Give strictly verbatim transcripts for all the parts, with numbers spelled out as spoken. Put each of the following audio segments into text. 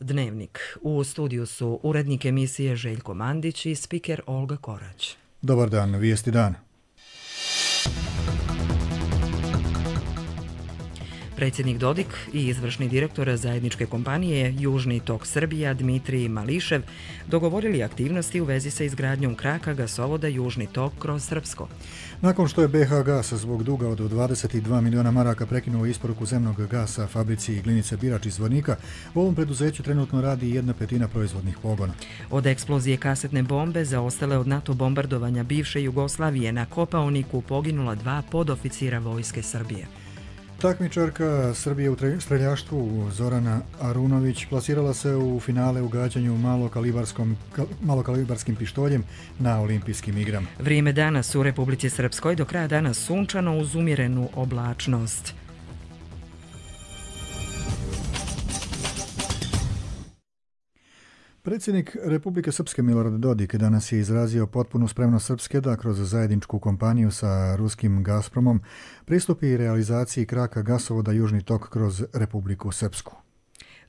Dnevnik. U studiju su urednik emisije Željko Mandić i spiker Olga Korać. Dobar dan, vijesti dana. Predsjednik Dodik i izvršni direktor zajedničke kompanije Južni tok Srbija Dmitrij Mališev dogovorili aktivnosti u vezi sa izgradnjom kraka gasovoda Južni tok kroz Srpsko. Nakon što je B H Gas zbog duga od dvadeset dva miliona maraka prekinuo isporuku zemnog gasa fabrici Glinice Birač iz Zvornika, u ovom preduzeću trenutno radi jedna petina proizvodnih pogona. Od eksplozije kasetne bombe zaostale od NATO bombardovanja bivše Jugoslavije na Kopaoniku poginula dva podoficira vojske Srbije. Takmičarka Srbije u streljaštvu Zorana Arunović plasirala se u finale u gađanju malokalibarskim pištoljem na olimpijskim igrama. Vrijeme danas u Republici Srpskoj do kraja dana sunčano uz umjerenu oblačnost. Predsjednik Republike Srpske Milorad Dodik danas je izrazio potpunu spremnost Srpske da kroz zajedničku kompaniju sa ruskim Gazpromom pristupi realizaciji kraka gasovoda Južni tok kroz Republiku Srpsku.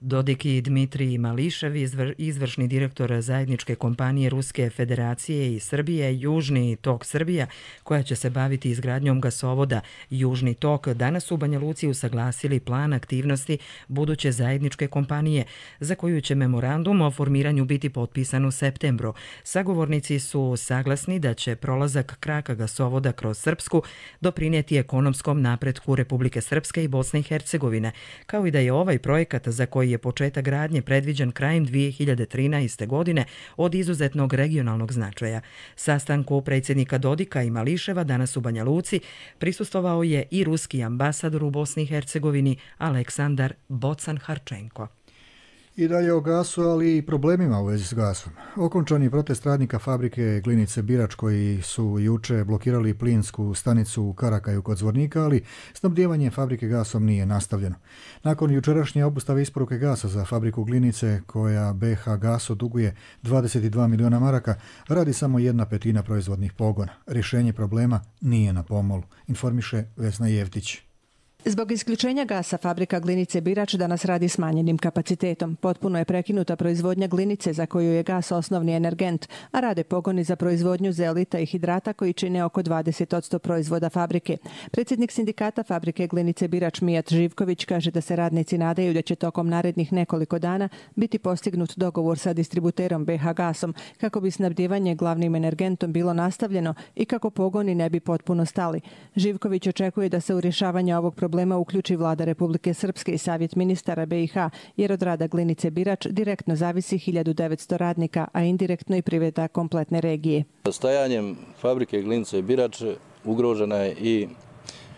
Dodik i Dmitrij Mališev, izvršni direktor zajedničke kompanije Ruske federacije i Srbije Južni tok Srbija, koja će se baviti izgradnjom gasovoda Južni tok, danas u Banja Luci usaglasili plan aktivnosti buduće zajedničke kompanije, za koju će memorandum o formiranju biti potpisan u septembru. Sagovornici su saglasni da će prolazak kraka gasovoda kroz Srpsku doprinijeti ekonomskom napretku Republike Srpske i Bosne i Hercegovine, kao i da je ovaj projekat za koji je početak gradnje predviđen krajem dvije hiljade trinaeste. godine od izuzetnog regionalnog značaja. Sastanku predsjednika Dodika i Mališeva danas u Banja Luci prisustvovao je i ruski ambasador u Bosni i Hercegovini Aleksandar Bocan-Harčenko. I dalje o gasu, ali i problemima u vezi s gasom. Okončan je protest radnika fabrike Glinice Birač koji su juče blokirali plinsku stanicu u Karakaju kod Zvornika, ali snabdijevanje fabrike gasom nije nastavljeno. Nakon jučerašnje obustave isporuke gasa za fabriku Glinice, koja B H Gasu duguje dvadeset dva miliona maraka, radi samo jedna petina proizvodnih pogona. Rješenje problema nije na pomolu, informiše Vesna Jevtić. Zbog isključenja gasa fabrika Glinice Birač danas radi smanjenim kapacitetom. Potpuno je prekinuta proizvodnja glinice za koju je gas osnovni energent, a rade pogoni za proizvodnju zeolita i hidrata koji čine oko dvadeset posto proizvoda fabrike. Predsjednik sindikata fabrike Glinice Birač Mijat Živković kaže da se radnici nadaju da će tokom narednih nekoliko dana biti postignut dogovor sa distributerom B H Gasom kako bi snabdijevanje glavnim energentom bilo nastavljeno i kako pogoni ne bi potpuno stali. Živković očekuje da se u rješavanje ovog problema problema uključi vlada Republike Srpske i savjet ministara B i H, jer od rada Glinice Birač direktno zavisi hiljadu devetsto radnika, a indirektno i privreda kompletne regije. Stajanjem fabrike Glinice Birač ugrožena je i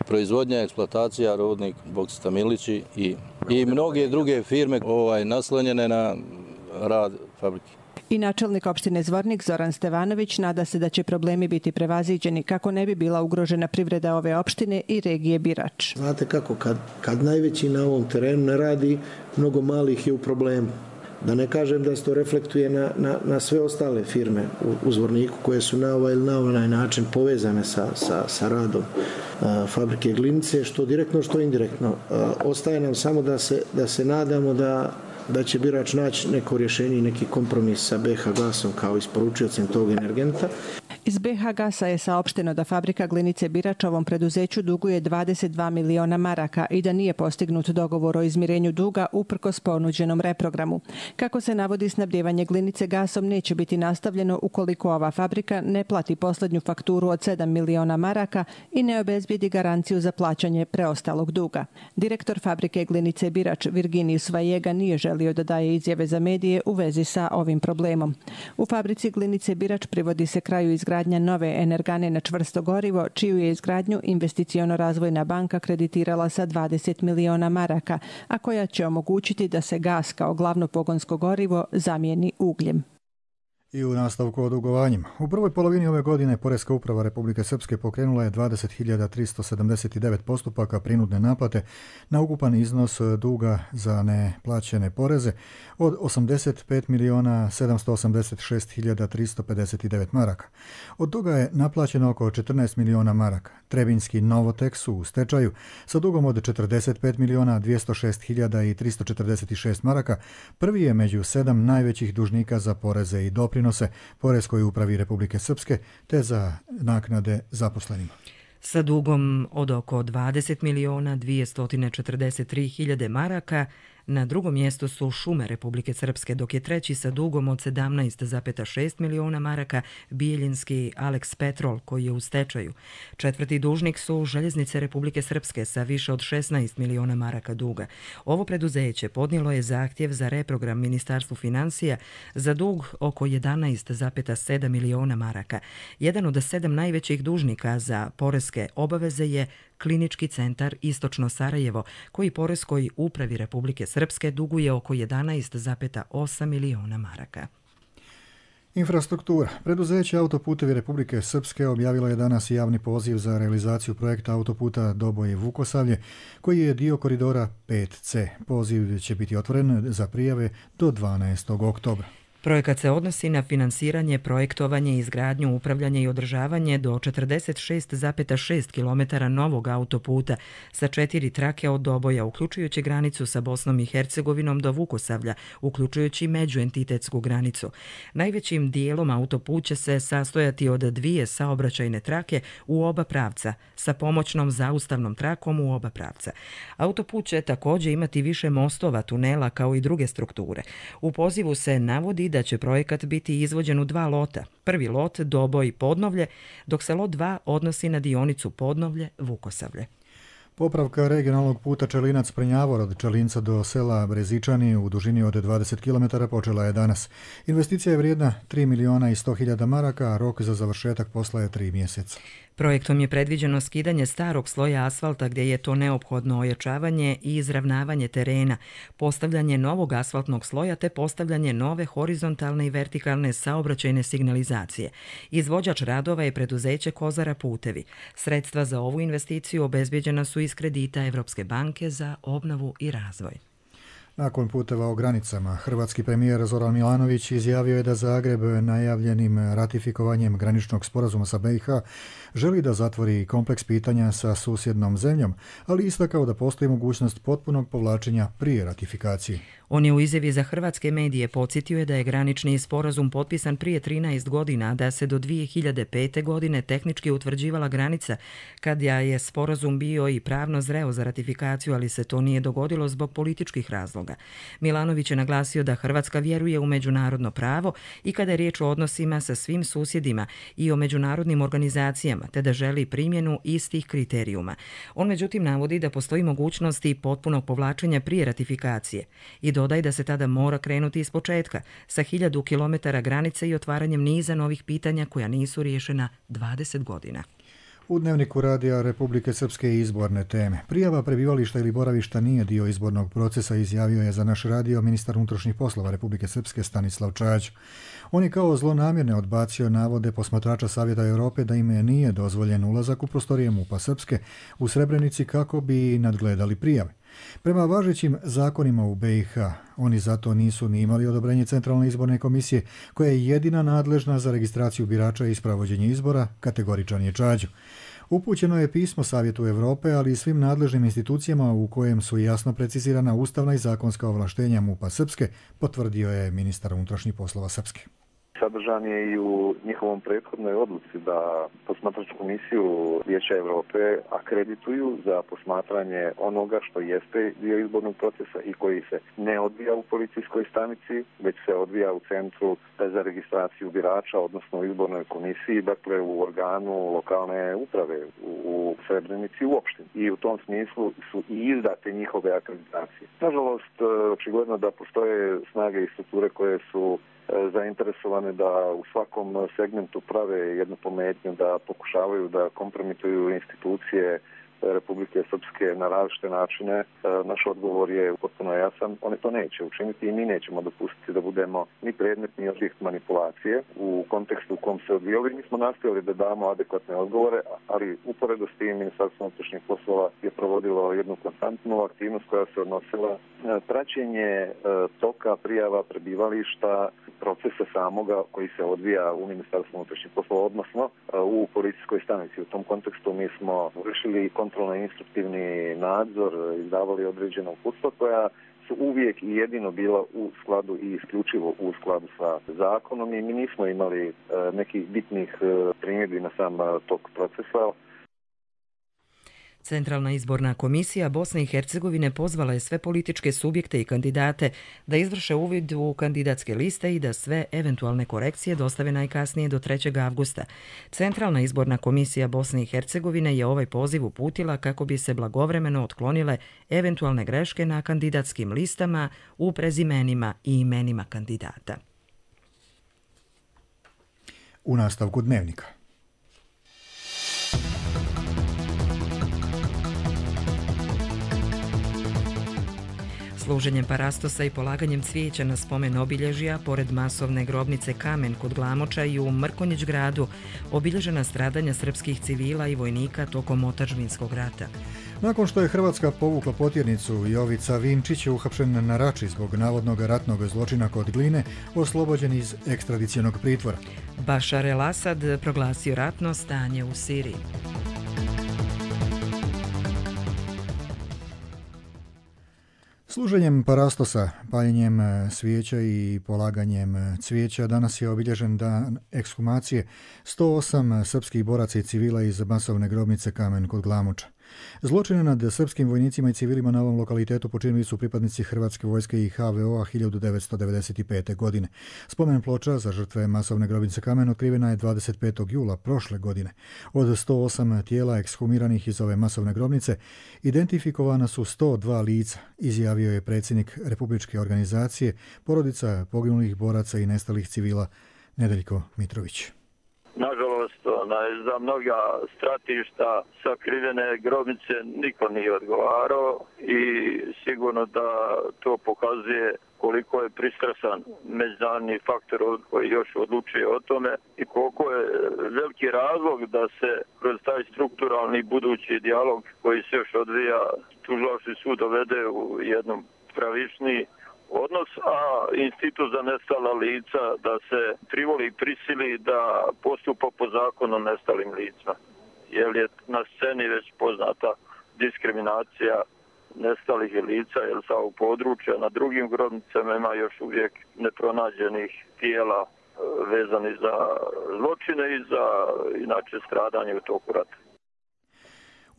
proizvodnja, eksploatacija rudnik Boksita Milići i, i mnoge druge firme ovaj, naslonjene na rad fabrike. I načelnik opštine Zvornik Zoran Stevanović nada se da će problemi biti prevaziđeni kako ne bi bila ugrožena privreda ove opštine i regije Birač. Znate kako, kad, kad najveći na ovom terenu ne radi, mnogo malih je u problemu. Da ne kažem da se to reflektuje na, na, na sve ostale firme u, u Zvorniku koje su na ovaj ili na onaj način povezane sa, sa, sa radom a, fabrike Glinice, što direktno, što indirektno. A, ostaje nam samo da se, da se nadamo da da će Birač naći neko rješenje i neki kompromis sa B H Gasom kao isporučiocem tog energenta. Iz B H Gasa je saopšteno da fabrika Glinice Birač ovom preduzeću duguje dvadeset dva miliona maraka i da nije postignut dogovor o izmirenju duga uprkos ponuđenom reprogramu. Kako se navodi, snabdijevanje Glinice gasom neće biti nastavljeno ukoliko ova fabrika ne plati posljednju fakturu od sedam miliona maraka i ne obezbijedi garanciju za plaćanje preostalog duga. Direktor fabrike Glinice Birač Virginijus Vajega nije želio da daje izjave za medije u vezi sa ovim problemom. U fabrici Glinice Birač privodi se kraju izgradnja nove energane na čvrsto gorivo, čiju je izgradnju Investiciono-razvojna banka kreditirala sa dvadeset miliona maraka, a koja će omogućiti da se gas kao glavno pogonsko gorivo zamijeni ugljem. I u nastavku o dugovanjima. U prvoj polovini ove godine Poreska uprava Republike Srpske pokrenula je dvadeset hiljada tristo sedamdeset devet postupaka prinudne naplate na ukupan iznos duga za neplaćene poreze od osamdeset pet miliona sedamsto osamdeset šest hiljada tristo pedeset devet maraka. Od toga je naplaćeno oko četrnaest miliona maraka. Trebinski Novotek su u stečaju sa dugom od četrdeset pet miliona dvjesto šest hiljada tristo četrdeset šest maraka. Prvi je među sedam najvećih dužnika za poreze i doprinose Poreskoj upravi Republike Srpske te za naknade zaposlenima. Sa dugom od oko dvadeset miliona dvjesto četrdeset tri hiljade maraka na drugom mjestu su Šume Republike Srpske, dok je treći sa dugom od sedamnaest zarez šest miliona maraka Bijeljinski Alex Petrol, koji je u stečaju. Četvrti dužnik su Željeznice Republike Srpske sa više od šesnaest miliona maraka duga. Ovo preduzeće podnijelo je zahtjev za reprogram Ministarstvu financija za dug oko jedanaest zarez sedam miliona maraka. Jedan od sedam najvećih dužnika za poreske obaveze je Klinički centar Istočno Sarajevo, koji Poreskoj upravi Republike Srpske duguje oko jedanaest zarez osam miliona maraka. Infrastruktura. Preduzeće Autoputevi Republike Srpske objavilo je danas javni poziv za realizaciju projekta autoputa Doboj-Vukosavlje, koji je dio koridora pet ce. Poziv će biti otvoren za prijave do dvanaestog oktobra. Projekat se odnosi na finansiranje, projektovanje, izgradnju, upravljanje i održavanje do četrdeset šest zarez šest kilometara novog autoputa sa četiri trake od Doboja, uključujući granicu sa Bosnom i Hercegovinom do Vukosavlja, uključujući međuentitetsku granicu. Najvećim dijelom autoput će se sastojati od dvije saobraćajne trake u oba pravca, sa pomoćnom zaustavnom trakom u oba pravca. Autoput će također imati više mostova, tunela kao i druge strukture. U pozivu se navodi da će projekat biti izvođen u dva lota. Prvi lot Doboj-Podnovlje, dok se lot dva odnosi na dionicu Podnovlje-Vukosavlje. Popravka regionalnog puta Čelinac-Prnjavor od Čelinca do sela Brezičani u dužini od dvadeset kilometara počela je danas. Investicija je vrijedna tri miliona i sto hiljada maraka, a rok za završetak posla je tri mjeseca. Projektom je predviđeno skidanje starog sloja asfalta gdje je to neophodno ojačavanje i izravnavanje terena, postavljanje novog asfaltnog sloja te postavljanje nove horizontalne i vertikalne saobraćajne signalizacije. Izvođač radova je preduzeće Kozara Putevi. Sredstva za ovu investiciju obezbjeđena su iz kredita Evropske banke za obnovu i razvoj. Nakon puteva o granicama, hrvatski premijer Zoran Milanović izjavio je da Zagreb najavljenim ratifikovanjem graničnog sporazuma sa be i ha želi da zatvori kompleks pitanja sa susjednom zemljom, ali istakao da postoji mogućnost potpunog povlačenja prije ratifikacije. On je u izjavi za hrvatske medije podsjetio je da je granični sporazum potpisan prije trinaest godina, da se do dvije hiljade pete. godine tehnički utvrđivala granica, kad je sporazum bio i pravno zreo za ratifikaciju, ali se to nije dogodilo zbog političkih razloga. Milanović je naglasio da Hrvatska vjeruje u međunarodno pravo i kada je riječ o odnosima sa svim susjedima i o međunarodnim organizacijama, te da želi primjenu istih kriterijuma. On međutim navodi da postoji mogućnost i potpunog povlačenja prije ratifikacije i dodaj da se tada mora krenuti iz početka, sa hiljadu kilometara granice i otvaranjem niza novih pitanja koja nisu riješena dvadeset godina. U Dnevniku radija Republike Srpske izborne teme. Prijava prebivališta ili boravišta nije dio izbornog procesa, izjavio je za naš radio ministar unutrašnjih poslova Republike Srpske Stanislav Čađ. On je kao zlonamjerne odbacio navode posmatrača Savjeta Europe da im nije dozvoljen ulazak u prostorije MUP-a Srpske u Srebrenici kako bi nadgledali prijave. Prema važećim zakonima u be i ha, oni zato nisu ni imali odobrenje Centralne izborne komisije, koja je jedina nadležna za registraciju birača i sprovođenje izbora, kategoričan je Čađu. Upućeno je pismo Savjetu Europe, ali i svim nadležnim institucijama u kojem su jasno precizirana ustavna i zakonska ovlaštenja MUP-a Srpske, potvrdio je ministar unutrašnjih poslova Srpske. Sadržan je i u njihovom prethodnoj odluci da posmatračku komisiju Vijeća Europe akredituju za posmatranje onoga što jeste dio izbornog procesa i koji se ne odvija u policijskoj stanici, već se odvija u centru za registraciju birača, odnosno u izbornoj komisiji, dakle u organu lokalne uprave u Srebrenici uopšte. I u tom smislu su i izdate njihove akreditacije. Nažalost, očigledno da postoje snage i strukture koje su zainteresovane da u svakom segmentu prave jednu pometnju, da pokušavaju da kompromituju institucije Republike Srpske na različite načine. Naš odgovor je potpuno jasan. Oni to neće učiniti i mi nećemo dopustiti da budemo ni predmet ni objekt manipulacije u kontekstu u kom se odvijali. Mi smo nastojali da damo adekvatne odgovore, ali uporedo s tim Ministarstvo unutrašnjih poslova je provodilo jednu konstantnu aktivnost koja se odnosila na praćenje toka prijava prebivališta, procesa samoga koji se odvija u Ministarstvu unutrašnjih poslova, odnosno u policijskoj stanici. U tom kontekstu mi smo vršili kontrolno instruktivni nadzor, izdavali određena uputstva koja su uvijek i jedino bila u skladu i isključivo u skladu sa zakonom i mi nismo imali nekih bitnih primjedbi na sam tok procesa. Centralna izborna komisija Bosne i Hercegovine pozvala je sve političke subjekte i kandidate da izvrše uvid u kandidatske liste i da sve eventualne korekcije dostave najkasnije do trećeg avgusta. Centralna izborna komisija Bosne i Hercegovine je ovaj poziv uputila kako bi se blagovremeno otklonile eventualne greške na kandidatskim listama u prezimenima i imenima kandidata. U nastavku dnevnika. Služenjem parastosa i polaganjem cvijeća na spomen obilježja, pored masovne grobnice Kamen kod Glamoča i u Mrkonjić gradu, obilježena stradanja srpskih civila i vojnika tokom otadžbinskog rata. Nakon što je Hrvatska povukla potjernicu, Jovica Vinčić je uhapšen na Rači zbog navodnog ratnog zločina kod Gline, oslobođen iz ekstradicionog pritvora. Bašar el-Asad proglasio ratno stanje u Siriji. Služenjem parastosa, paljenjem svijeća i polaganjem cvijeća danas je obilježen dan ekshumacije sto osam srpskih boraca i civila iz masovne grobnice Kamen kod Glamoča. Zločine nad srpskim vojnicima i civilima na ovom lokalitetu počinili su pripadnici Hrvatske vojske i ha ve o-a hiljadu devetsto devedeset pete. godine. Spomen ploča za žrtve masovne grobnice Kamen otkrivena je dvadeset petog jula prošle godine. Od sto osam tijela ekshumiranih iz ove masovne grobnice identifikovana su sto dva lica, izjavio je predsjednik Republičke organizacije porodica poginulih boraca i nestalih civila Nedeljko Mitrović. Nažalost, onaj, za mnoga stratišta sakrivene grobnice niko nije odgovarao i sigurno da to pokazuje koliko je pristrasan međunarodni faktor koji još odlučuje o tome i koliko je veliki razlog da se kroz taj strukturalni budući dijalog koji se još odvija tužilački sud dovede u jednom pravičniji odnos, a institut za nestala lica da se privoli i prisili da postupa po zakonu o nestalim licima. Jer je na sceni već poznata diskriminacija nestalih lica, jer sa ovog područja na drugim grobnicama ima još uvijek nepronađenih tijela vezani za zločine i za inače stradanje u toku rata.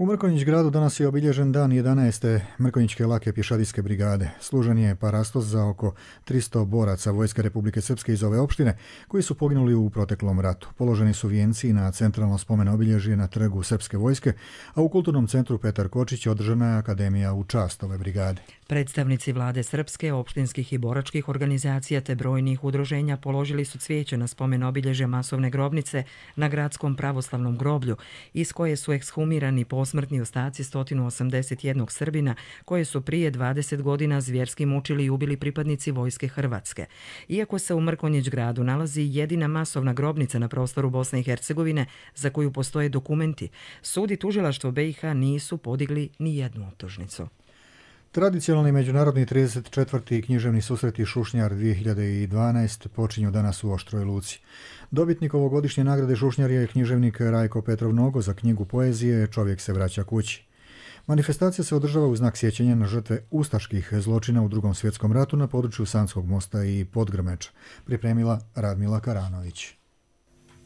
U Mrkonjić gradu danas je obilježen dan jedanaeste Mrkonjićke lake pješadijske brigade. Služen je parastos za oko tristo boraca Vojske Republike Srpske iz ove opštine koji su poginuli u proteklom ratu. Položeni su vijenci na centralno spomen obilježje na trgu Srpske vojske, a u kulturnom centru Petar Kočić održana je akademija u čast ove brigade. Predstavnici vlade Srpske, opštinskih i boračkih organizacija te brojnih udruženja položili su cvijeće na spomen obilježja masovne grobnice na gradskom pravoslavnom groblju, iz koje su ekshumirani posmrtni ostaci sto osamdeset jednog Srbina koje su prije dvadeset godina zvjerski mučili i ubili pripadnici Vojske Hrvatske. Iako se u Mrkonjić gradu nalazi jedina masovna grobnica na prostoru Bosne i Hercegovine za koju postoje dokumenti, sud i tužilaštvo be i ha nisu podigli ni jednu optužnicu. Tradicionalni međunarodni trideset četvrti književni susreti Šušnjar dvije hiljade dvanaeste počinju danas u Oštroj Luci. Dobitnik ovogodišnje nagrade Šušnjar je književnik Rajko Petrov Nogo za knjigu poezije Čovjek se vraća kući. Manifestacija se održava u znak sjećanja na žrtve ustaških zločina u Drugom svjetskom ratu na području Sanskog mosta i Podgrmeča, pripremila Radmila Karanović.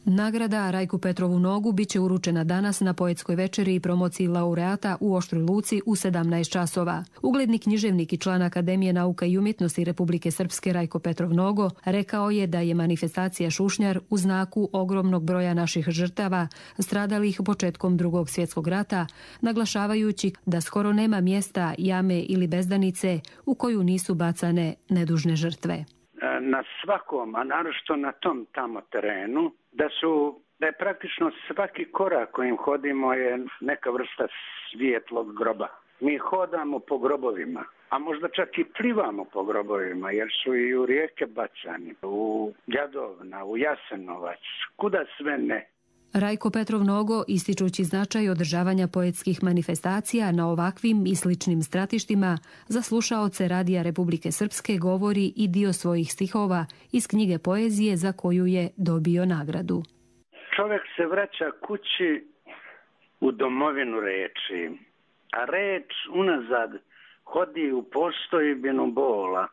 Nagrada Rajku Petrovu Nogu biće uručena danas na poetskoj večeri i promociji laureata u Oštroj Luci u sedamnaest časova. Ugledni književnik i član Akademije nauka i umjetnosti Republike Srpske Rajko Petrov Nogo rekao je da je manifestacija Šušnjar u znaku ogromnog broja naših žrtava stradalih početkom Drugog svjetskog rata, naglašavajući da skoro nema mjesta, jame ili bezdanice u koju nisu bacane nedužne žrtve. Na svakom, a naročito na tom tamo terenu, da su da je praktično svaki korak kojim hodimo je neka vrsta svijetlog groba. Mi hodamo po grobovima, a možda čak i plivamo po grobovima, jer su i u rijeke bacani, u Jadovna, u Jasenovac, kuda sve ne. Rajko Petrov Nogo, ističući značaj održavanja poetskih manifestacija na ovakvim i sličnim stratištima, za slušaoce Radija Republike Srpske govori i dio svojih stihova iz knjige poezije za koju je dobio nagradu. Čovjek se vraća kući u domovinu reči, a reč unazad hodi u postojbinu bola.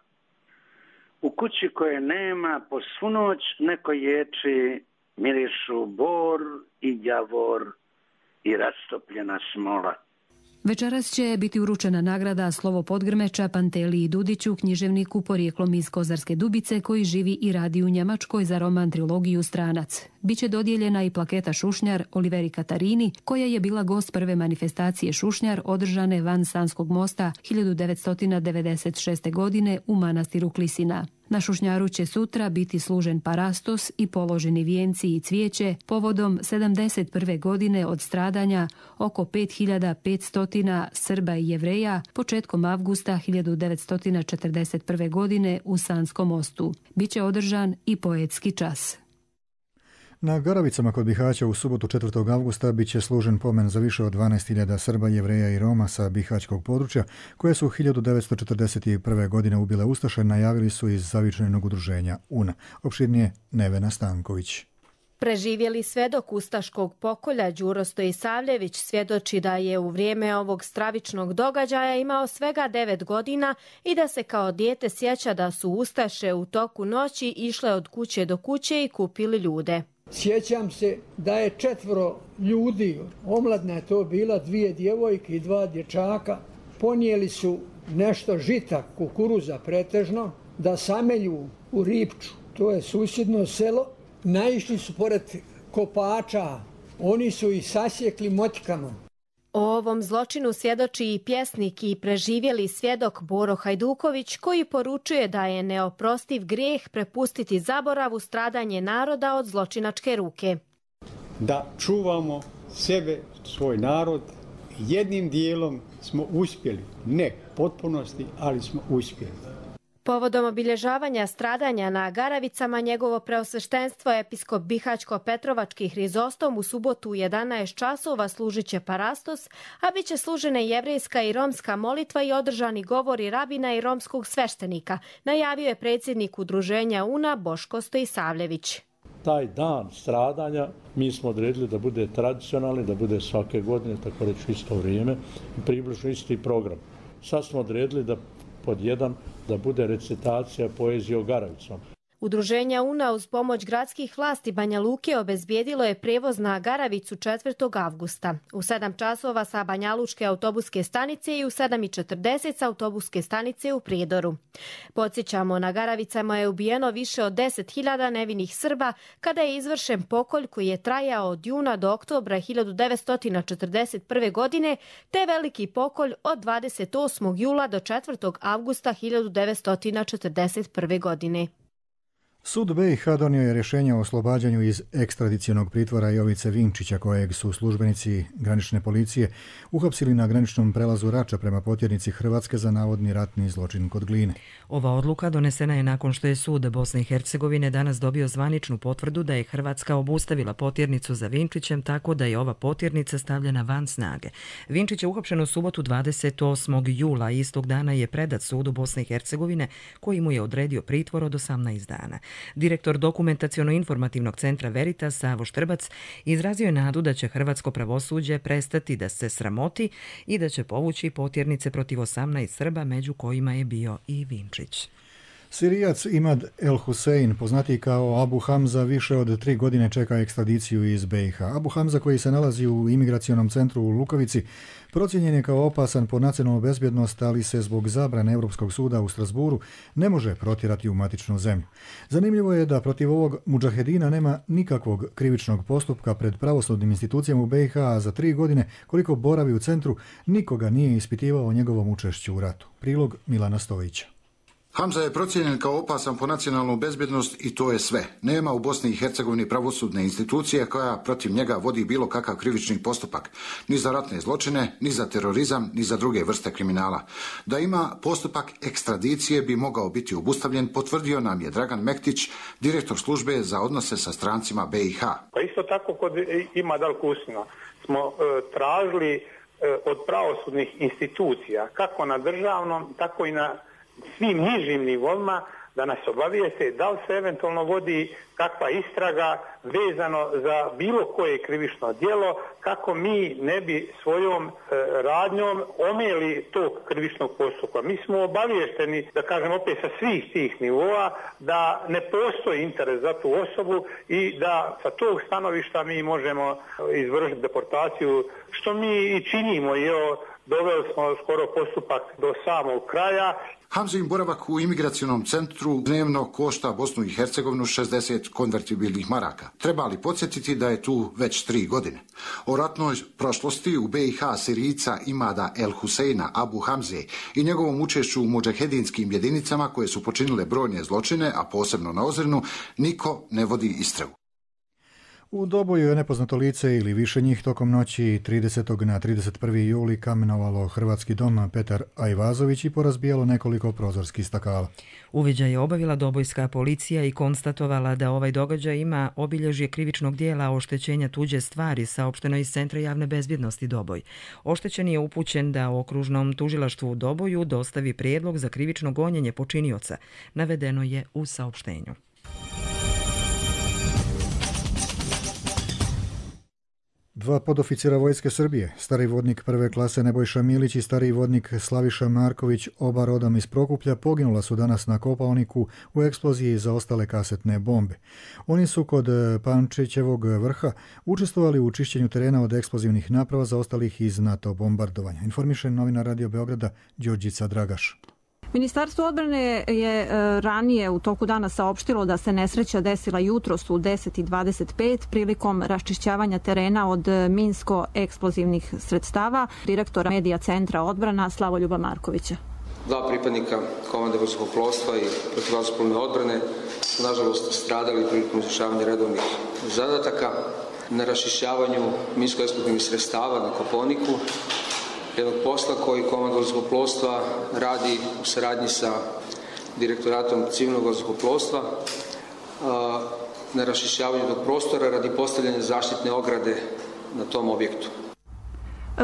U kući koje nema po svu noć neko ječi, mirišu bor i javor i rastopljena smola. Večeras će biti uručena nagrada Slovo Podgrmeča Panteliji Dudiću, književniku porijeklom iz Kozarske Dubice koji živi i radi u Njemačkoj za roman trilogiju Stranac. Biće dodijeljena i plaketa Šušnjar Oliveri Katarini, koja je bila gost prve manifestacije Šušnjar održane van Sanskog mosta hiljadu devetsto devedeset šeste. godine u manastiru Klisina. Na Šušnjaru će sutra biti služen parastos i položeni vijenci i cvijeće povodom sedamdeset prve. godine od stradanja oko pet hiljada petsto Srba i Jevreja početkom avgusta hiljadu devetsto četrdeset prve. godine u Sanskom mostu. Biće održan i poetski čas. Na Garavicama kod Bihaća u subotu četvrtog avgusta bit će služen pomen za više od dvanaest hiljada Srba, Jevreja i Roma sa bihaćkog područja, koje su hiljadu devetsto četrdeset prve. godine ubile ustaše, najavili su iz zavičajnog udruženja U N A. Opširnije Nevena Stanković. Preživjeli svedok ustaškog pokolja Đuro Stojisavljević svjedoči da je u vrijeme ovog stravičnog događaja imao svega devet godina i da se kao dijete sjeća da su ustaše u toku noći išle od kuće do kuće i kupili ljude. Sjećam se da je četvoro ljudi, omladna je to bila, dvije djevojke i dva dječaka, ponijeli su nešto žita, kukuruza pretežno, da samelju u Ripču, to je susjedno selo. Naišli su pored kopača, oni su ih sasjekli motikama. O ovom zločinu svjedoči i pjesnik i preživjeli svjedok Boro Hajduković, koji poručuje da je neoprostiv grijeh prepustiti zaboravu stradanje naroda od zločinačke ruke. Da čuvamo sebe, svoj narod, jednim dijelom smo uspjeli, ne potpunosti, ali smo uspjeli. Povodom obilježavanja stradanja na Garavicama njegovo preosveštenstvo episkop Bihaćko-Petrovački Hrizostom u subotu u jedanaest časova služit će parastos, a bit će služene jevrejska i romska molitva i održani govori rabina i romskog sveštenika, najavio je predsjednik udruženja U N A Boško Stojisavljević. Taj dan stradanja mi smo odredili da bude tradicionalni, da bude svake godine, tako reći isto vrijeme, i približno isti program. Sad smo odredili da pod jedan da bude recitacija poezije o Garavicama. Udruženje U N A uz pomoć gradskih vlasti Banja Luke obezbijedilo je prijevoz na Garavicu četvrtog avgusta. U sedam časova sa Banjalučke autobuske stanice i u sedam i četrdeset sa autobuske stanice u Prijedoru. Podsjećamo, na Garavicama je ubijeno više od deset hiljada nevinih Srba kada je izvršen pokolj koji je trajao od juna do oktobra hiljadu devetsto četrdeset prve. godine, te veliki pokolj od dvadeset osmog jula do četvrtog avgusta hiljadu devetsto četrdeset prve. godine. Sud B i H donio je rješenje o oslobađanju iz ekstradicionog pritvora Jovice Vinčića, kojeg su službenici granične policije uhapsili na graničnom prelazu Rača prema potjernici Hrvatske za navodni ratni zločin kod Gline. Ova odluka donesena je nakon što je sud Bosne i Hercegovine danas dobio zvaničnu potvrdu da je Hrvatska obustavila potjernicu za Vinčićem, tako da je ova potjernica stavljena van snage. Vinčić je uhapšen u subotu dvadeset osmog jula, istog dana je predat sudu Bosne i Hercegovine, koji mu je odredio pritvor od osamnaest dana. Direktor dokumentaciono-informativnog centra Veritas Savo Štrbac izrazio je nadu da će hrvatsko pravosuđe prestati da se sramoti i da će povući potjernice protiv osamnaest Srba, među kojima je bio i Vinčić. Sirijac Imad El Hussein, poznati kao Abu Hamza, više od tri godine čeka ekstradiciju iz B i H. Abu Hamza, koji se nalazi u imigracionom centru u Lukovici, procijenjen je kao opasan po nacionalnu bezbjednost, ali se zbog zabrane Europskog suda u Strasburu ne može protjerati u matičnu zemlju. Zanimljivo je da protiv ovog mudžahedina nema nikakvog krivičnog postupka pred pravosudnim institucijama u B i H, a za tri godine koliko boravi u centru nikoga nije ispitivao o njegovom učešću u ratu. Prilog Milana Stojića. Hamza je procijenjen kao opasan po nacionalnu bezbjednost i to je sve. Nema u Bosni i Hercegovini pravosudne institucije koja protiv njega vodi bilo kakav krivični postupak, ni za ratne zločine, ni za terorizam, ni za druge vrste kriminala. Da ima postupak ekstradicije bi mogao biti obustavljen, potvrdio nam je Dragan Mektić, direktor službe za odnose sa strancima B i H. Pa isto tako kod Ima Dal Kusina smo e, tražili e, od pravosudnih institucija, kako na državnom, tako i na svim nižim nivoima, da nas obavijeste da li se eventualno vodi kakva istraga vezano za bilo koje krivično djelo, kako mi ne bi svojom e, radnjom omeli tog krivičnog postupka. Mi smo obavješteni, da kažem opet sa svih tih nivoa, da ne postoji interes za tu osobu i da sa tog stanovišta mi možemo izvršiti deportaciju, što mi i činimo i evo, doveli smo skoro postupak do samog kraja. Hamzin boravak u imigracionom centru dnevno košta Bosnu i Hercegovinu šezdeset konvertibilnih maraka. Treba li podsjetiti da je tu već tri godine? O ratnoj prošlosti u B i H Sirijca Imada El Huseina Abu Hamze i njegovom učešću u mudžahedinskim jedinicama koje su počinile brojne zločine, a posebno na Ozrenu, niko ne vodi istragu. U Doboju je nepoznato lice ili više njih tokom noći tridesetog na trideset prvi juli kamenovalo hrvatski dom Petar Ajvazović i porazbijalo nekoliko prozorskih stakala. Uviđaj je obavila dobojska policija i konstatovala da ovaj događaj ima obilježje krivičnog dijela oštećenja tuđe stvari, saopšteno iz Centra javne bezbjednosti Doboj. Oštećeni je upućen da okružnom tužilaštvu u Doboju dostavi prijedlog za krivično gonjenje počinioca. Navedeno je u saopštenju. Dva podoficira Vojske Srbije, stari vodnik prve klase Nebojša Milić i stari vodnik Slaviša Marković, oba rodom iz Prokuplja, poginula su danas na Kopaoniku u eksploziji za ostale kasetne bombe. Oni su kod Pančićevog vrha učestvovali u čišćenju terena od eksplozivnih naprava zaostalih iz NATO bombardovanja. Informiše novinar Radio Beograda Đorđica Dragaš. Ministarstvo odbrane je ranije u toku dana saopštilo da se nesreća desila jutros u deset i dvadeset pet prilikom raščišćavanja terena od minsko-eksplozivnih sredstava. Direktora medija Centra odbrana Slavoljuba Markovića. Dva pripadnika komande vazduhoplovstva i protivvazduhoplovne odbrane su nažalost stradali prilikom izvršavanja redovnih zadataka na raščišćavanju minsko-eksplozivnih sredstava na Kopaoniku, jednog posla koji komanda vazduhoplovstva radi u saradnji sa direktoratom civilnog vazduhoplovstva na raščišćavanju tog prostora radi postavljanja zaštitne ograde na tom objektu.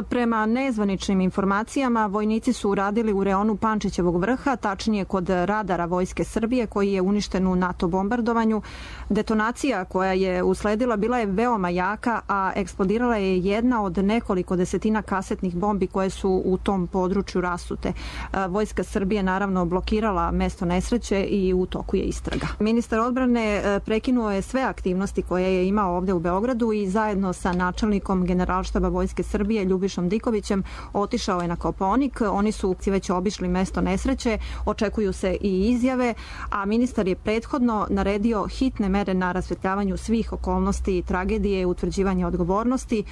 Prema nezvaničnim informacijama, vojnici su uradili u reonu Pančićevog vrha, tačnije kod radara Vojske Srbije koji je uništen u NATO bombardovanju. Detonacija koja je usledila bila je veoma jaka, a eksplodirala je jedna od nekoliko desetina kasetnih bombi koje su u tom području rasute. Vojska Srbije naravno blokirala mesto nesreće i u toku je istraga. Ministar odbrane prekinuo je sve aktivnosti koje je imao ovde u Beogradu i zajedno sa načelnikom Generalštaba Vojske Srbije Ljubišom Dikovićem otišao je na Kopaonik. Oni su već obišli mesto nesreće, očekuju se i izjave, a ministar je prethodno naredio hitne mere na rasvetljavanju svih okolnosti tragedije i utvrđivanje odgovornosti.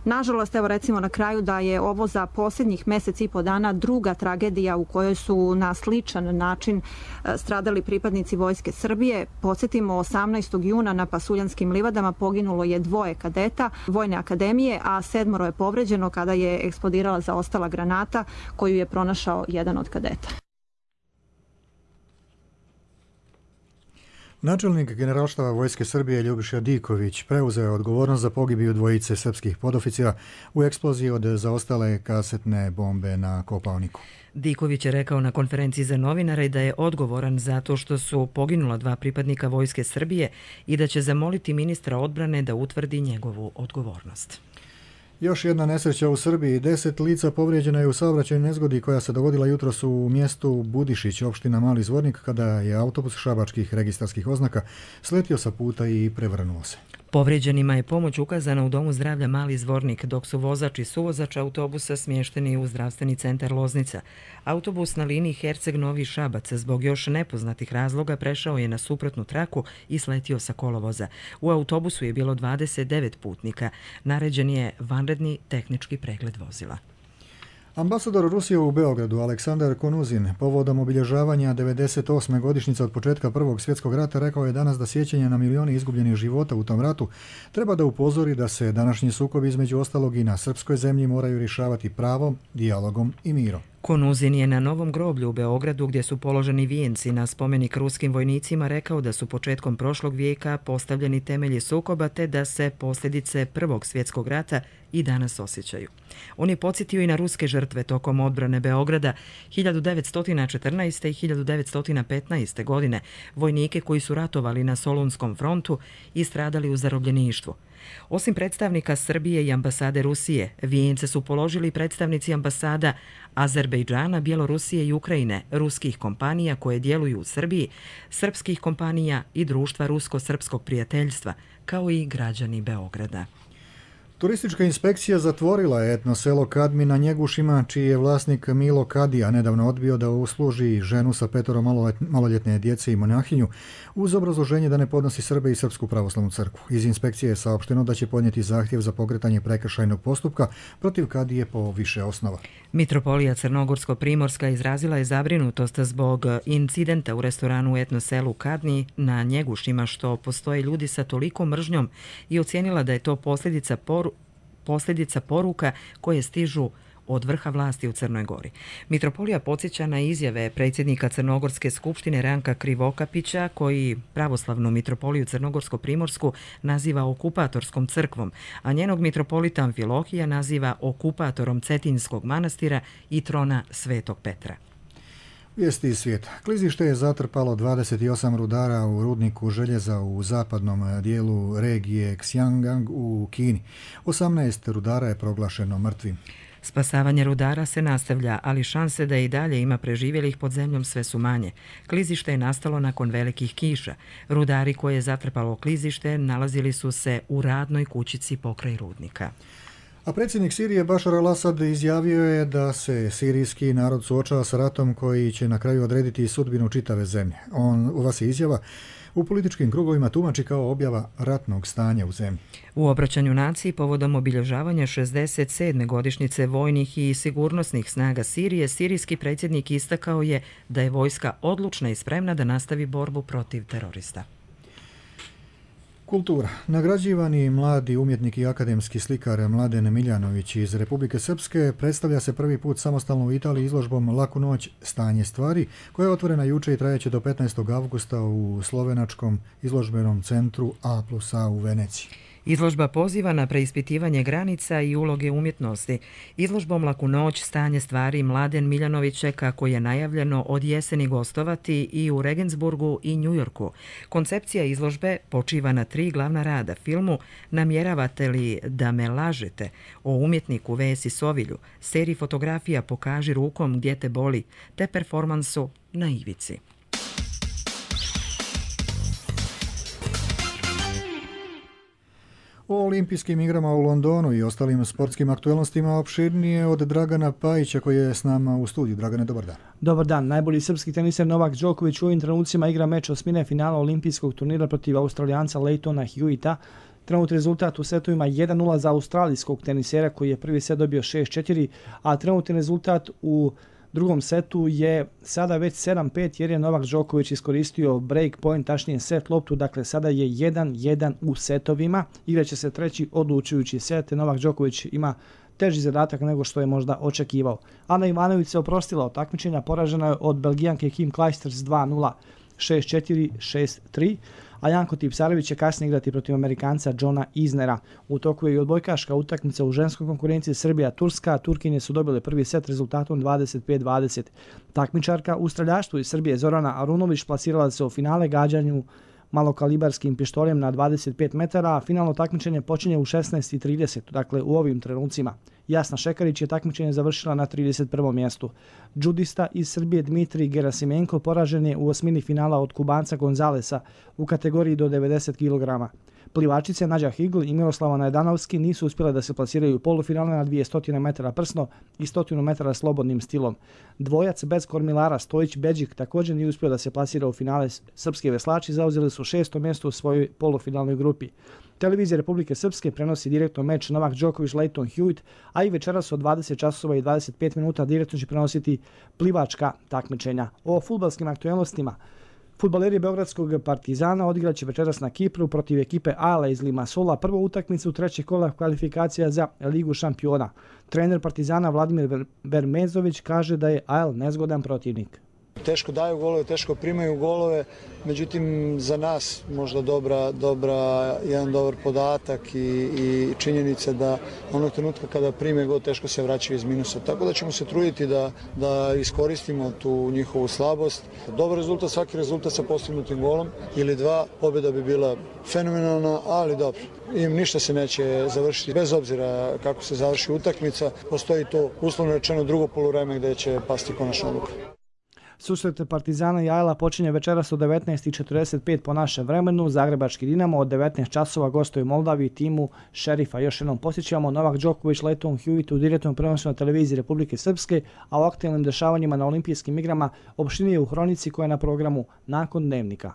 Nažalost, evo recimo na kraju da je ovo za posljednjih mjesec i po dana druga tragedija u kojoj su na sličan način stradali pripadnici Vojske Srbije. Podsjetimo, osamnaestog juna na Pasuljanskim livadama poginulo je dvoje kadeta Vojne akademije, a sedmoro je povređeno kada je eksplodirala zaostala granata koju je pronašao jedan od kadeta. Načelnik Generalštaba Vojske Srbije Ljubiša Diković preuzeo je odgovornost za pogibiju dvojice srpskih podoficira u eksploziji od zaostale kasetne bombe na Kopaoniku. Diković je rekao na konferenciji za novinare da je odgovoran zato što su poginula dva pripadnika Vojske Srbije i da će zamoliti ministra odbrane da utvrdi njegovu odgovornost. Još jedna nesreća u Srbiji. Deset lica povrijeđena je u saobraćajnoj nezgodi koja se dogodila jutros u mjestu Budišić, opština Mali Zvornik, kada je autobus šabačkih registarskih oznaka sletio sa puta i prevrnuo se. Povrijeđenima je pomoć ukazana u Domu zdravlja Mali Zvornik, dok su vozač i suvozač autobusa smješteni u zdravstveni centar Loznica. Autobus na liniji Herceg-Novi Šabac zbog još nepoznatih razloga prešao je na suprotnu traku i sletio sa kolovoza. U autobusu je bilo dvadeset devet putnika. Naređen je vanredni tehnički pregled vozila. Ambasador Rusije u Beogradu Aleksandar Konuzin povodom obilježavanja devedeset osme godišnjice od početka Prvog svjetskog rata rekao je danas da sjećanje na milioni izgubljenih života u tom ratu treba da upozori da se današnji sukobi između ostalog i na srpskoj zemlji moraju rješavati pravom, dijalogom i mirom. Konuzin je na Novom groblju u Beogradu, gdje su položeni vijenci na spomenik ruskim vojnicima, rekao da su početkom prošlog vijeka postavljeni temelji sukoba te da se posljedice Prvog svjetskog rata i danas osjećaju. On je podsjetio i na ruske žrtve tokom odbrane Beograda hiljadu devetsto četrnaeste. i hiljadu devetsto petnaeste. godine, vojnike koji su ratovali na Solunskom frontu i stradali u zarobljeništvu. Osim predstavnika Srbije i ambasade Rusije, vijence su položili predstavnici ambasada Azerbejdžana, Bjelorusije i Ukrajine, ruskih kompanija koje djeluju u Srbiji, srpskih kompanija i društva Rusko-srpskog prijateljstva, kao i građani Beograda. Turistička inspekcija zatvorila je etno selo Kadmi na Njegušima, čiji je vlasnik Milo Kadija nedavno odbio da usluži ženu sa petoro maloljetne djece i monahinju uz obrazloženje da ne podnosi Srbe i Srpsku pravoslavnu crkvu. Iz inspekcije je saopšteno da će podnijeti zahtjev za pokretanje prekršajnog postupka protiv Kadije po više osnova. Mitropolija Crnogorsko-Primorska izrazila je zabrinutost zbog incidenta u restoranu u etno selu Kadni na Njegušima, što postoje ljudi sa toliko mržnjom, i ocijenila da je to posljedica poru posljedica poruka koje stižu od vrha vlasti u Crnoj Gori. Mitropolija podsjeća na izjave predsjednika Crnogorske skupštine Ranka Krivokapića, koji pravoslavnu mitropoliju Crnogorsko-Primorsku naziva okupatorskom crkvom, a njenog mitropolita Amfilohija naziva okupatorom Cetinskog manastira i trona Svetog Petra. Vijesti iz svijeta. Klizište je zatrpalo dvadeset osam rudara u rudniku željeza u zapadnom dijelu regije Xinjiang u Kini. osamnaest rudara je proglašeno mrtvim. Spasavanje rudara se nastavlja, ali šanse da i dalje ima preživjelih pod zemljom sve su manje. Klizište je nastalo nakon velikih kiša. Rudari koje je zatrpalo klizište nalazili su se u radnoj kućici pokraj rudnika. A predsjednik Sirije Bašar al-Asad izjavio je da se sirijski narod suočava sa ratom koji će na kraju odrediti sudbinu čitave zemlje. On, ova se izjava u političkim krugovima tumači kao objava ratnog stanja u zemlji. U obraćanju naciji povodom obilježavanja šezdeset sedme godišnjice vojnih i sigurnosnih snaga Sirije, sirijski predsjednik istakao je da je vojska odlučna i spremna da nastavi borbu protiv terorista. Kultura. Nagrađivani mladi umjetnik i akademski slikar Mladen Miljanović iz Republike Srpske predstavlja se prvi put samostalno u Italiji izložbom Laku noć, stanje stvari, koja je otvorena juče i trajeće do petnaestog avgusta u slovenačkom izložbenom centru A plus A u Veneciji. Izložba poziva na preispitivanje granica i uloge umjetnosti. Izložbom Laku noć, stanje stvari Mladen Miljanović će, kako je najavljeno, od jeseni gostovati i u Regensburgu i Njujorku. Koncepcija izložbe počiva na tri glavna rada: filmu Namjeravate li da me lažete, o umjetniku Vesi Sovilju, seriji fotografija Pokaži rukom gdje te boli, te performansu Na ivici. O olimpijskim igrama u Londonu i ostalim sportskim aktualnostima opširnije od Dragana Pajića koji je s nama u studiju. Dragane, dobar dan. Dobar dan. Najbolji srpski teniser Novak Đoković u ovim trenucima igra meč osmine finala olimpijskog turnira protiv Australijanca Leightona Hewita. Trenutni rezultat u setovima jedan nula za australijskog tenisera koji je prvi set dobio šest četiri, a trenutni rezultat u drugom setu je sada već sedam pet jer je Novak Đoković iskoristio break point, tačnije set loptu, dakle sada je jedan jedan u setovima. Igraće se treći odlučujući set. Novak Đoković ima teži zadatak nego što je možda očekivao. Ana Ivanović se oprostila od takmičenja, poražena je od Belgijanke Kim Clijsters dva nula, šest četiri, šest tri, a Janko Tipsarević će kasnije igrati protiv Amerikanca Johna Isnera. U toku je i odbojkaška utakmica u ženskoj konkurenciji Srbija-Turska. Turkinje su dobile prvi set rezultatom dvadeset pet dvadeset. Takmičarka u streljaštvu iz Srbije Zorana Arunović plasirala se u finale gađanju malokalibarskim pištoljem na dvadeset pet metara, a finalno takmičenje počinje u šesnaest i trideset, dakle u ovim trenucima. Jasna Šekarić je takmičenje završila na trideset prvom mjestu. Džudista iz Srbije Dmitrij Gerasimenko poražen je u osmini finala od Kubanca Gonzalesa u kategoriji do devedeset kilograma. Plivačice Nađa Higl i Miroslava Najdanovski nisu uspjele da se plasiraju u polufinale na dvjesto metara prsno i sto metara slobodnim stilom. Dvojac bez kormilara Stojić Beđik također nije uspio da se plasira u finale. Srpski veslači zauzeli su šesto mjesto u svojoj polufinalnoj grupi. Televizija Republike Srpske prenosi direktno meč Novak Đoković Lleyton Hewitt, a i večeras od dvadeset časova i dvadeset pet minuta direktno će prenositi plivačka takmičenja. O fudbalskim aktualnostima. Fudbaleri Beogradskog Partizana odigraće večeras na Kipru protiv ekipe A L A iz Limassola prvu utakmicu trećeg kola kvalifikacija za Ligu šampiona. Trener Partizana Vladimir Vermezović kaže da je A L nezgodan protivnik. Teško daju golove, teško primaju golove, međutim za nas možda dobra, dobra, jedan dobar podatak i, i činjenica da onog trenutka kada prime gol teško se vraćaju iz minusa. Tako da ćemo se truditi da, da iskoristimo tu njihovu slabost. Dobar rezultat, svaki rezultat sa postignutim golom ili dva, pobjeda bi bila fenomenalna, ali dobro. I ništa se neće završiti bez obzira kako se završi utakmica. Postoji to uslovno rečeno drugo poluvreme gdje će pasti konačna odluka. Susret Partizana i A L A počinje večeras od devetnaest i četrdeset pet po našem vremenu. Zagrebački Dinamo od devetnaest časova gostuje Moldavi timu Šerifa. Još jednom posjećamo Novak Đoković Lleyton Hewitt u direktnom prenosu na televiziji Republike Srpske, a o aktualnim dešavanjima na olimpijskim igrama opštinije u Hronici koja je na programu nakon dnevnika.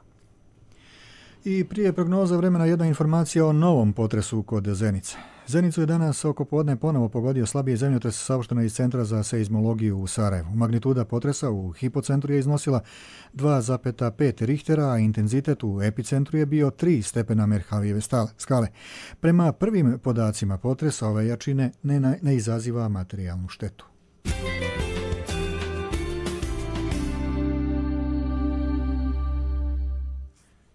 I prije prognoza vremena jedna informacija o novom potresu kod Zenice. Zenicu je danas oko podne ponovo pogodio slabiji zemljotres saopšteno iz Centra za seizmologiju u Sarajevu. Magnituda potresa u hipocentru je iznosila dva zarez pet Richtera, a intenzitet u epicentru je bio tri stepena Merhalijeve skale. Prema prvim podacima potresa ove jačine ne, ne izaziva materijalnu štetu.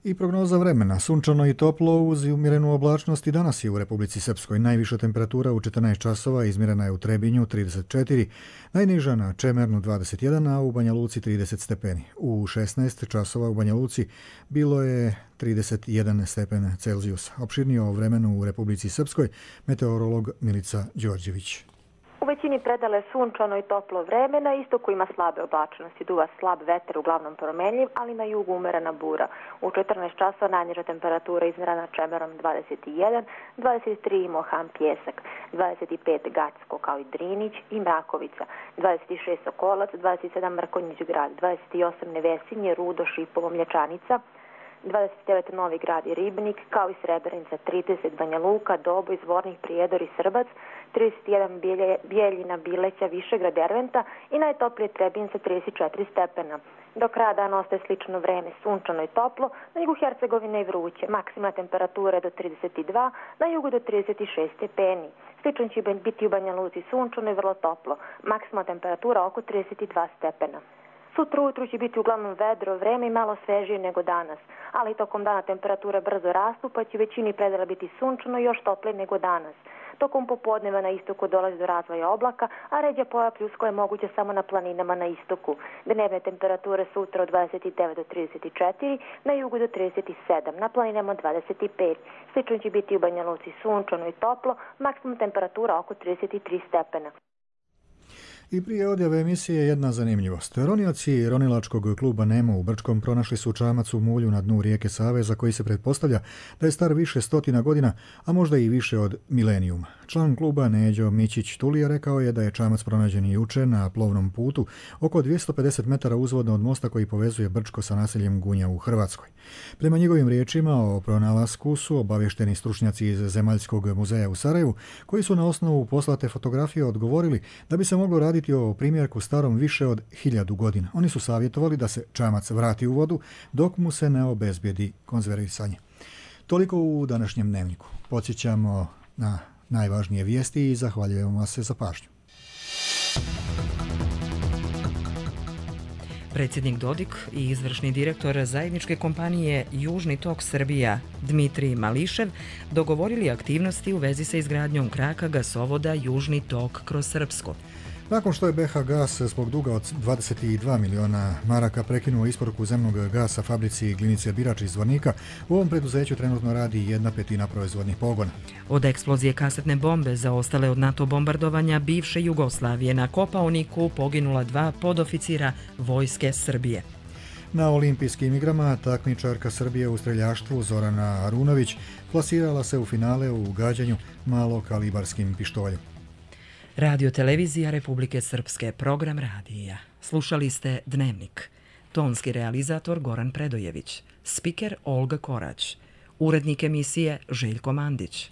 I prognoza vremena. Sunčano i toplo uz umjerenu oblačnost i danas je u Republici Srpskoj. Najviša temperatura u četrnaest časova izmjerena je u Trebinju trideset četiri, najniža na Čemernu dvadeset jedan, a u Banja Luci trideset stepeni. U šesnaest časova u Banja Luci bilo je trideset jedan stepen Celzijusa. Opširnije o vremenu u Republici Srpskoj meteorolog Milica Đorđević. U većini predale sunčano i toplo vreme, na istoku ima slabe oblačnosti, duva slab vetar, uglavnom promenljiv, ali na jugu umerena bura. U četrnaest časova najniža temperatura izmjerena Čemerom dvadeset jedan, dvadeset tri Mohan Pjesak, dvadeset pet Gacko kao i Drinić i Mrakovica, dvadeset šest Sokolac, dvadeset sedam Mrkonjić grad, dvadeset osam Nevesinje, Rudo, Šipovo, Mlječanica, dvadeset devet Novi grad i Ribnik, kao i Srebrenica, trideset Banja Luka, Doboj, Zvornik, Prijedor i Srbac, trideset jedan Bijeljina, Bileća, Višegrad, Derventa i najtoplije Trebinca trideset četiri stepena. Do kraja dana ostaje slično vreme, sunčano i toplo, na jugu Hercegovine i vruće, maksimalna temperatura do trideset dva, na jugu do trideset šest stepeni. Slično će biti u Banja Luci sunčano i vrlo toplo, maksimalna temperatura oko trideset dva stepena. Sutra ujutru će biti uglavnom vedro vreme i malo svežije nego danas, ali tokom dana temperature brzo rastu, pa će većini predela biti sunčano i još toplije nego danas. Tokom popodneva na istoku dolazi do razvoja oblaka, a ređa pojava pljuskova je moguća samo na planinama na istoku. Dnevne temperature sutra od dvadeset devet do trideset četiri, na jugu do trideset sedam, na planinama dvadeset pet. Slično će biti u Banja Luci sunčano i toplo, maksimum temperatura oko trideset tri stepena. I prije odjave emisije jedna zanimljivost. Ronioci ronilačkog kluba Nemo u Brčkom pronašli su čamac u mulju na dnu rijeke Save za koji se pretpostavlja da je star više stotina godina, a možda i više od milenijuma. Član kluba Neđo Mićić Tulija rekao je da je čamac pronađen juče na plovnom putu oko dvjesto pedeset metara uzvodno od mosta koji povezuje Brčko sa naseljem Gunja u Hrvatskoj. Prema njegovim riječima o pronalasku su obavješteni stručnjaci iz Zemaljskog muzeja u Sarajevu, koji su na osnovu poslate fotografije odgovorili da bi se moglo raditi o primjerku starom više od hiljadu godina. Oni su savjetovali da se čamac vrati u vodu dok mu se ne obezbijedi konzervisanje. Toliko u današnjem dnevniku. Podsjećamo na najvažnije vijesti i zahvaljujemo vas se za pažnju. Predsjednik Dodik i izvršni direktor zajedničke kompanije Južni tok Srbija Dmitrij Mališev dogovorili aktivnosti u vezi sa izgradnjom kraka gasovoda Južni tok kroz Srpsko. Nakon što je B H Gas zbog duga od dvadeset dva miliona maraka prekinuo isporuku zemnog gasa fabrici Glinice Birač iz Zvornika, u ovom preduzeću trenutno radi jedna petina proizvodnih pogona. Od eksplozije kasetne bombe zaostale od NATO bombardovanja bivše Jugoslavije na Kopaoniku poginula dva podoficira Vojske Srbije. Na olimpijskim igrama takmičarka Srbije u streljaštvu Zorana Arunović plasirala se u finale u gađanju malokalibarskim pištoljem. Radio televizija Republike Srpske, program radija. Slušali ste Dnevnik. Tonski realizator Goran Predojević. Spiker Olga Korać. Urednik emisije Željko Mandić.